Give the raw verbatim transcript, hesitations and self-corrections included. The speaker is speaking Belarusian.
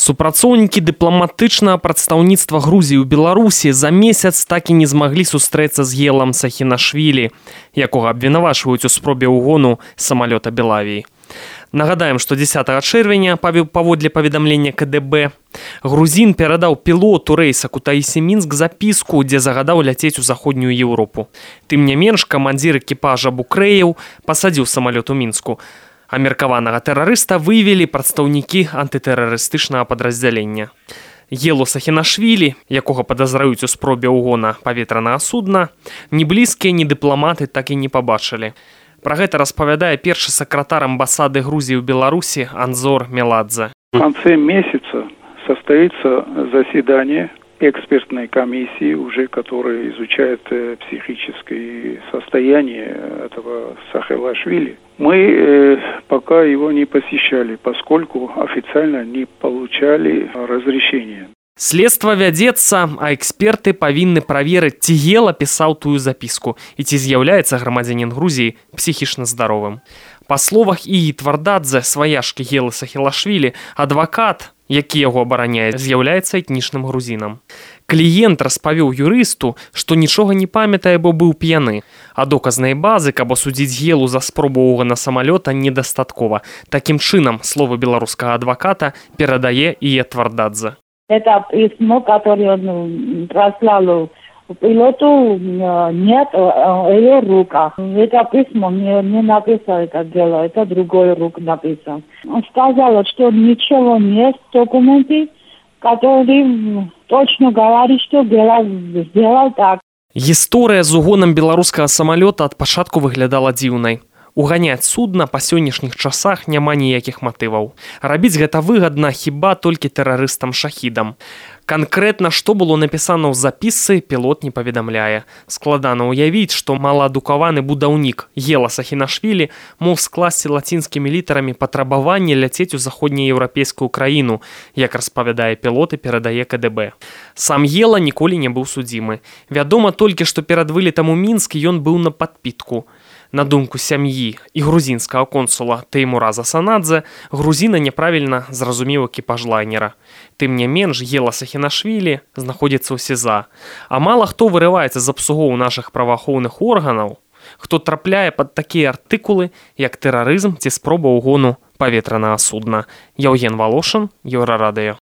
Супрацоўнікі дыпламатычнага прадстаўніцтва Грузіі ў Беларусі за месяц так і не змаглі сустрэцца з Гелам Сахінашвілі, якога абвінавачваюць у спробе ўгону самалёта Белавіі. Нагадаем, што дзесятага чэрвеня, паводле паведамлення ка дэ бэ, грузін перадаў пілоту рэйса Кутаісі-Мінск запіску, дзе загадаў ляцець у заходнюю Еўропу. Тым не менш, камандзір экіпажа Букрэеў пасадзіў самалёт у Мінску. А меркаванага тэрарыста выявілі прадстаўнікі антытэрарыстычнага падраздзялення. Гелу Сахінашвілі, якога падазраюць у спробе ўгона паветранага судна, ні блізкія, ні дыпламаты так і не пабачылі. Пра гэта распавядае першы сакратар амбасады Грузіі ў Беларусі Анзор Меладзе. В конце месяца состоится заседание экспертной комиссии, уже которая изучает э, психическое состояние этого Сахилашвили. Мы э, пока его не посещали, поскольку официально не получали разрешения. Следства вядзецца, а эксперты павінны праверыць, ці Гела пісаў тую запіску і ці з'яўляецца грамадзянін Грузіі псіхічна здаровым. Па словах Ігі Твардадзе, сваяшкі Гелы Сахілашвілі, адвакат, які яго абараняе, з'яўляецца этнічным грузінам. Кліент распавёў юрысту, што нічога не памятае, бо быў п'яны, а доказнай базы, каб асудзіць Гелу за спробу ўгона самалёта, недастаткова. Такім чынам, словы беларускага адваката перадае Ігі Твардадзе. Это письмо, которое он прослал пилоту, нет в ее руках. Это письмо не, не написал это дело, это другой рук написал. Он сказал, что ничего нет в документе, который точно говорит, что Гела сделал так. Гісторыя з угонам беларускага самалёта ад пачатку выглядала дзіўнай. Уганяць судна па сённяшніх часах няма ніякіх матываў. Рабіць гэта выгадна хіба толькі тэрарыстам-шахідам. Канкрэтна, што было напісана ў запісцы, пілот не паведамляе. Складана ўявіць, што маладукаваны будаўнік Гела Сахінашвілі мог скласці лацінскімі літарамі патрабаванне ляцець у заходнееўрапейскую краіну, як распавядае пілот і перадае ка дэ бэ. Сам Гела ніколі не быў судзімы. Вядома толькі, што перад вылетам у Мінск ён быў на падпітку. На думку сям'і і грузінскага консула Тэймура Засанадзе, грузіна няправільна зразумеў экіпаж лайнера. Тым не менш, Гела Сахінашвілі знаходзіцца ў СІЗА. А мала хто вырываецца з абсугоў нашых праваахоўных органаў, хто трапляе пад такія артыкулы, як тэрарызм ці спроба ўгону паветранага судна. Яўген Валошын, Еўрарадыё.